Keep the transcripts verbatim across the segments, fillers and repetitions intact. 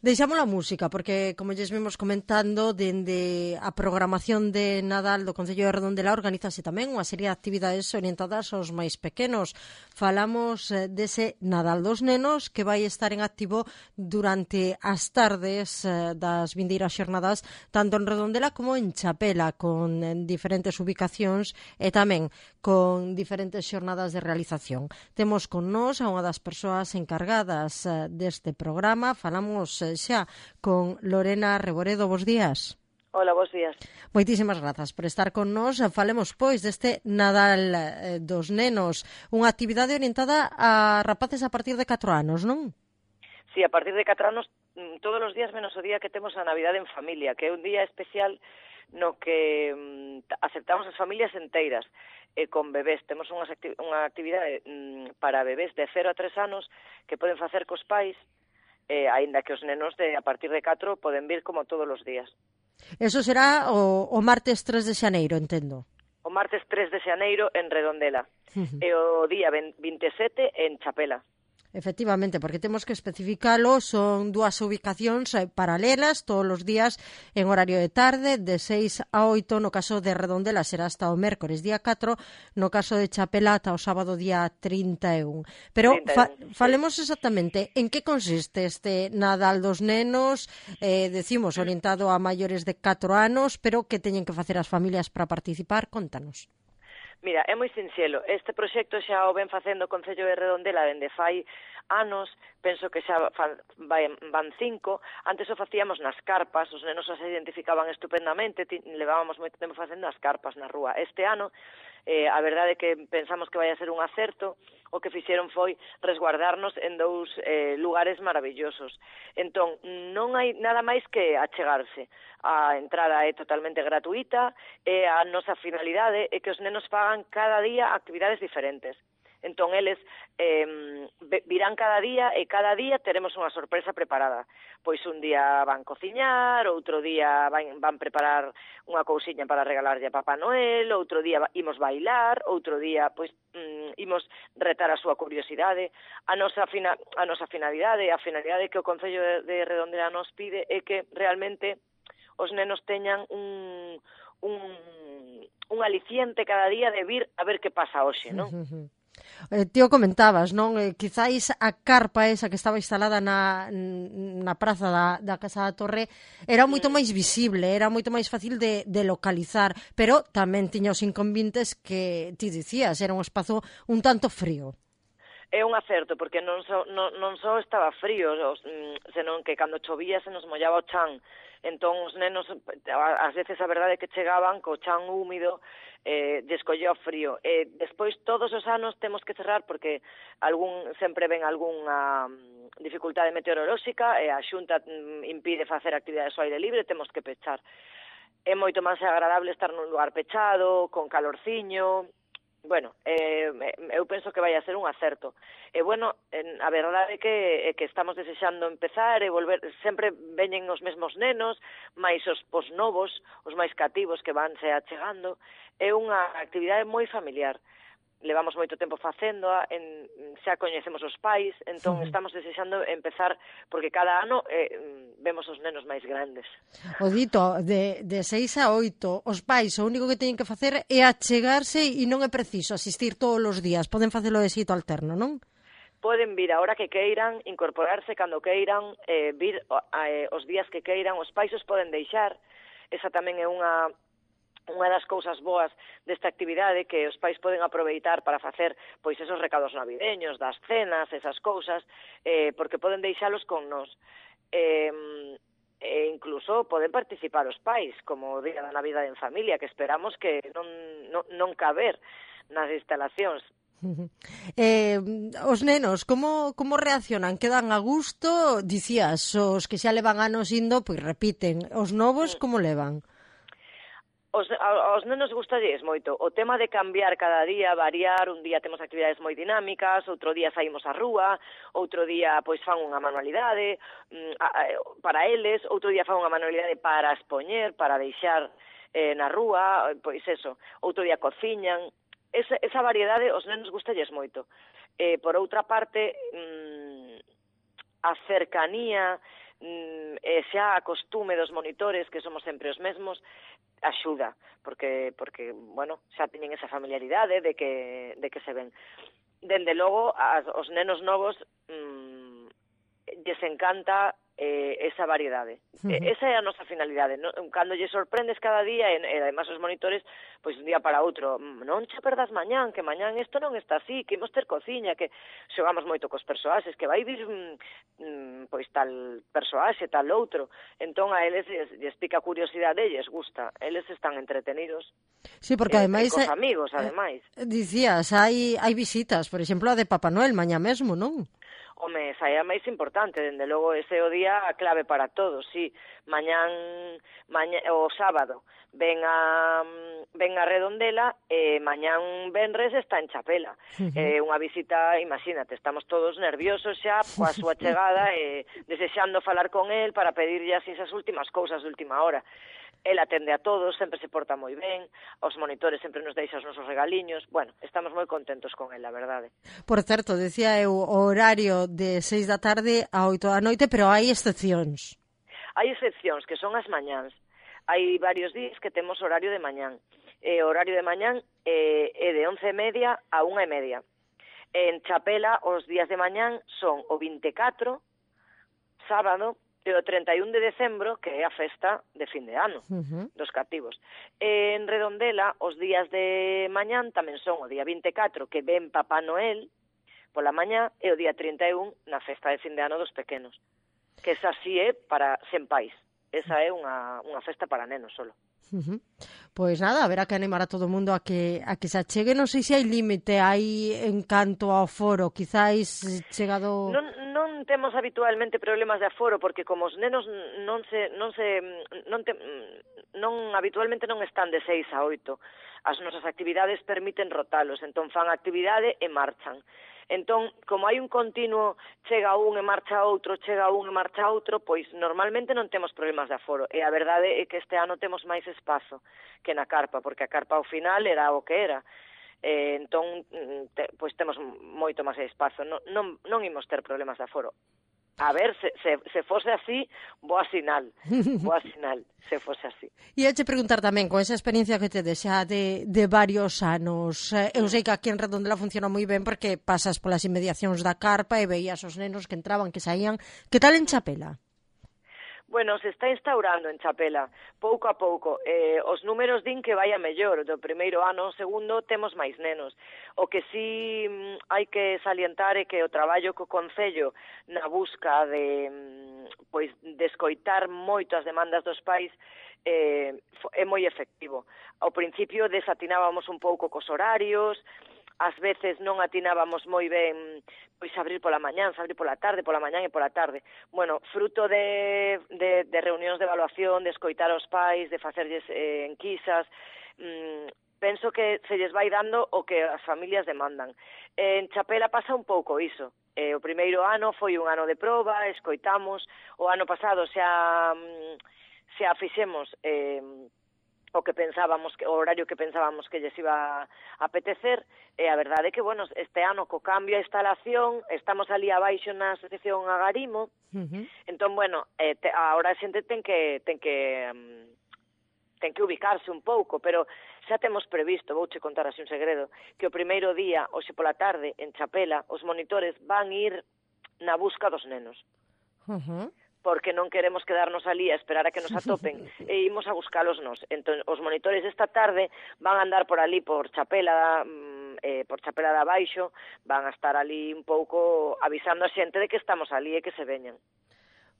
Deixamos a música, porque, como lles vimos comentando, dende a programación de Nadal do Concello de Redondela organízase tamén unha serie de actividades orientadas aos máis pequenos. Falamos eh, dese Nadal dos nenos que vai estar en activo durante as tardes eh, das vindeiras xornadas, tanto en Redondela como en Chapela, con eh, diferentes ubicacións e tamén con diferentes xornadas de realización. Temos con nós a unha das persoas encargadas eh, deste programa. Falamos eh, xa con Lorena Reboredo. Bos días. Hola, bos días. Moitísimas grazas por estar con nós. Falemos, pois, deste Nadal eh, dos nenos, unha actividade orientada a rapaces a partir de catro anos, non? Sí, a partir de catro anos, todos os días menos o día que temos a Navidade en familia, que é un día especial no que mm, aceptamos as familias enteiras, e con bebés. Temos unhas acti unha actividade mm, para bebés de cero a tres anos que poden facer cos pais, eh, aínda que os nenos de a partir de catro poden vir como todos os días. Eso será o, o martes tres de xaneiro, entendo. O martes tres de xaneiro en Redondela, uh-huh. E o día vinte e sete en Chapela. Efectivamente, porque temos que especificalo, son dúas ubicacións paralelas todos os días en horario de tarde, de seis a oito, no caso de Redondela será hasta o mércores día catro, no caso de Chapela ata o sábado día trinta e un. Pero trinta e un, fa sí. Falemos exactamente en que consiste este Nadal dos nenos, eh, decimos orientado a maiores de catro anos, pero que teñen que facer as familias para participar, contanos. Mira, é moi sinxelo. Este proxecto xa o ven facendo o Concello de Redondela dende fai anos, penso que xa van cinco. Antes o facíamos nas carpas, os nenos se identificaban estupendamente, levábamos moito tempo facendo as carpas na rúa. Este ano, eh, a verdade é que pensamos que vai a ser un acerto, o que fixeron foi resguardarnos en dous eh, lugares maravillosos. Entón, non hai nada máis que achegarse. A entrada é totalmente gratuita e a nosa finalidade é que os nenos fagan cada día actividades diferentes. Entón, eles eh, virán cada día e cada día teremos unha sorpresa preparada. Pois un día van cociñar, outro día van, van preparar unha cousiña para regalarlle a Papá Noel, outro día imos bailar, outro día pois mm, imos retar a súa curiosidade. A nosa, fina, a nosa finalidade, a finalidade que o Concello de, de Redondela nos pide é que realmente os nenos teñan un, un, un aliciente cada día de vir a ver que pasa hoxe, non? Eh, tío, comentabas, non? Eh, quizáis a carpa esa que estaba instalada na, na praza da, da Casa da Torre era moito máis visible, era moito máis fácil de, de localizar, pero tamén tiña os inconvenientes que ti dicías, era un espazo un tanto frío. É un acerto, porque non só, non, non só estaba frío, os, senón que cando chovía se nos mollaba o chan. Entón, os nenos, ás veces a verdade é que chegaban co chan húmido, eh, descolleu frío. E despois, todos os anos, temos que cerrar, porque algún sempre ven algunha dificultade meteorolóxica, e a Xunta impide facer actividades ao aire libre, temos que pechar. É moito máis agradable estar nun lugar pechado, con calorciño. Bueno, eh, eu penso que vai a ser un acerto. E, bueno, a verdade é que, é que estamos desexando empezar e volver. Sempre veñen os mesmos nenos, máis os, os novos, os máis cativos que vanse achegando. É unha actividade moi familiar. Levamos moito tempo facéndoa, en, xa coñecemos os pais, entón sí. Estamos desexando empezar, porque cada ano eh, vemos os nenos máis grandes. O dito, de, de seis a oito, os pais o único que teñen que facer é achegarse e non é preciso asistir todos os días, poden facelo de xeito alterno, non? Poden vir a hora que queiran, incorporarse cando queiran, eh, vir eh, os días que queiran, os pais os poden deixar, esa tamén é unha... unha das cousas boas desta actividade, que os pais poden aproveitar para facer pois esos recados navideños, das cenas, esas cousas, eh, porque poden deixalos con nós. Eh, e incluso poden participar os pais, como o Día da Navidade en Familia, que esperamos que non, non, non caber nas instalacións. Eh, os nenos, como, como reaccionan? Quedan a gusto? Dicías, os que xa levan anos indo, pois repiten. Os novos, como levan? Os, aos nenos gustalles moito o tema de cambiar cada día, variar. Un día temos actividades moi dinámicas, outro día saímos á rúa, outro día pois fan unha manualidade para eles, outro día fan unha manualidade para expoñer, para deixar eh, na rúa, pois eso, outro día cociñan. Esa, esa variedade os nenos gustalles moito. Eh, por outra parte, mmm, a cercanía e xa a costume dos monitores, que somos sempre os mesmos, axuda, porque, porque bueno, xa teñen esa familiaridade de que, de que se ven. Dende logo, as, os nenos novos mmm, lles encanta eh, esa variedade. Uh-huh. Esa é a nosa finalidade. No? Cando lle sorprendes cada día, e, e además os monitores, pois un día para outro, non che perdas mañán, que mañán isto non está así, que imos ter cociña, que xogamos moito cos persoaxes, que vai vir mm, pois tal persoaxe, tal outro. Entón a eles lles, lles pica a curiosidade e lles gusta. Eles están entretenidos. Sí, porque eh, ademais... cos amigos, ademais. Eh, dicías, hai, hai visitas, por exemplo, a de Papá Noel mañá mesmo, non? Home, esa é a máis importante, dende logo ese é o día a clave para todos, sí. Mañán, mañá, o sábado, ven a, ven a Redondela e mañán venres está en Chapela. É uh-huh. eh, unha visita, imagínate, estamos todos nerviosos xa coa súa chegada e desexando falar con el para pedirlle así esas últimas cousas de última hora. El atende a todos, sempre se porta moi ben, os monitores sempre nos deixa os nosos regaliños. Bueno, estamos moi contentos con el, a verdade. Por certo, decía eu o horario de seis da tarde a oito da noite, pero hai excepcións. Hai excepcións, que son as mañáns. Hai varios días que temos horario de mañán. E o horario de mañán eh, é de once e media a unha e media. En Chapela, os días de mañán son o vinte e catro, sábado, e o trinta e un de decembro, que é a festa de fin de ano, uh-huh. dos cativos. E en Redondela, os días de mañán tamén son o día vinte e catro, que ven Papá Noel pola mañá, e o día trinta e un na festa de fin de ano dos pequenos. Que esa sí é para sen pais. Esa é unha, unha festa para nenos solo. Uh-huh. Pois nada, haberá que animar a todo o mundo a que a que se achegue. Non sei se hai límite aí en canto ao foro, quizáis chegado... Non, non temos habitualmente problemas de aforo, porque como os nenos non se non se non te, non habitualmente non están de seis a oito. As nosas actividades permiten rotalos, entón fan actividade e marchan. Entón, como hai un continuo, chega un e marcha outro, chega un e marcha outro, pois normalmente non temos problemas de aforo. E a verdade é que este ano temos máis espazo que na carpa, porque a carpa ao final era o que era. Eh, entón, te, pois temos moito máis espazo. Non, non, non imos ter problemas de aforo. A ver, se, se, se fose así, boa sinal, boa sinal, se fose así. E eu te preguntar tamén, con esa experiencia que te deixa de, de varios anos, eu sei que aquí en Redondela funciona moi ben porque pasas polas inmediacións da carpa e veías os nenos que entraban, que saían. Que tal en Chapela? Bueno, se está instaurando en Chapela, pouco a pouco. Eh, os números din que vai a mellor. Do primeiro ano ao segundo temos máis nenos. O que sí mm, hai que salientar é que o traballo co Concello na busca de, mm, pois, de escoitar moito as demandas dos pais eh, é moi efectivo. Ao principio desatinábamos un pouco cos horarios, ás veces non atinábamos moi ben pois abrir pola mañán, abrir pola tarde, pola mañán e pola tarde. Bueno, fruto de, de, de reunións de evaluación, de escoitar aos pais, de facerlles eh, enquisas, mmm, penso que se lles vai dando o que as familias demandan. En Chapela pasa un pouco iso. Eh, o primeiro ano foi un ano de proba, escoitamos, o ano pasado xa, xa fixemos... Eh, o que pensábamos, que o horario que pensábamos que lles iba a apetecer, e a verdade é que, bueno, este ano co cambio a instalación, estamos ali abaixo na asociación Agarimo, uh-huh. entón, bueno, eh, te, ahora a xente ten que ten que um, ten que ubicarse un pouco, pero xa temos previsto, vouche contar así un segredo, que o primeiro día, hoxe pola tarde, en Chapela, os monitores van ir na busca dos nenos. Uh-huh. Porque non queremos quedarnos ali a esperar a que nos atopen e imos a buscalos nos. Entón, os monitores esta tarde van a andar por ali, por Chapela, eh, por Chapela de abaixo, van a estar ali un pouco avisando a xente de que estamos ali e que se veñan.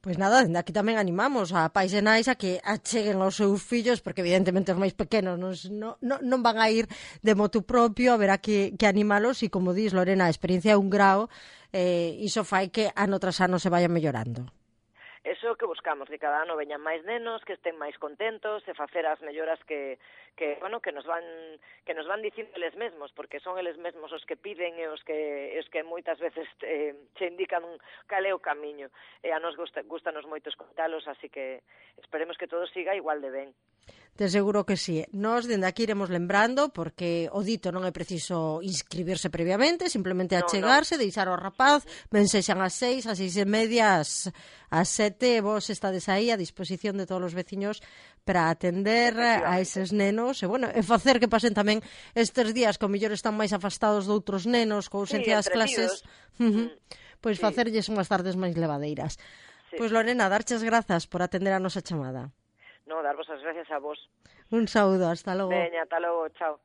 Pois nada, dende aquí tamén animamos a pais e nais a que acheguen aos seus fillos, porque evidentemente os máis pequenos non, non, non van a ir de motu propio, haberá que, que animalos, e como dis Lorena, a experiencia é un grao, eh, iso fai que ano tras ano se vaya mellorando. Eso que buscamos, que cada ano veñan máis nenos, que estén máis contentos, e facer as melloras que, que bueno, que nos van que nos van dicindo eles mesmos, porque son eles mesmos os que piden e os que os que moitas veces eh, che indican cal é o camiño. E a nos gusta, gustanos moito escoitalos, así que esperemos que todo siga igual de ben. De seguro que sí. Nos, dende aquí, iremos lembrando, porque o dito non é preciso inscribirse previamente, simplemente achegarse, no, no. deixar o rapaz, ben sexan as seis, as seis e media, as, as sete, vos estades aí a disposición de todos os veciños para atender a eses nenos, e, bueno, e facer que pasen tamén estes días que o mellor están máis afastados de outros nenos, co ausencia das clases, uh -huh, pois sí. facerlles unhas tardes máis levadeiras. Sí. Pois, Lorena, darches grazas por atender a nosa chamada. No, darvos as gracias a vos. Un saúdo, hasta logo. Veña, hasta logo, chao.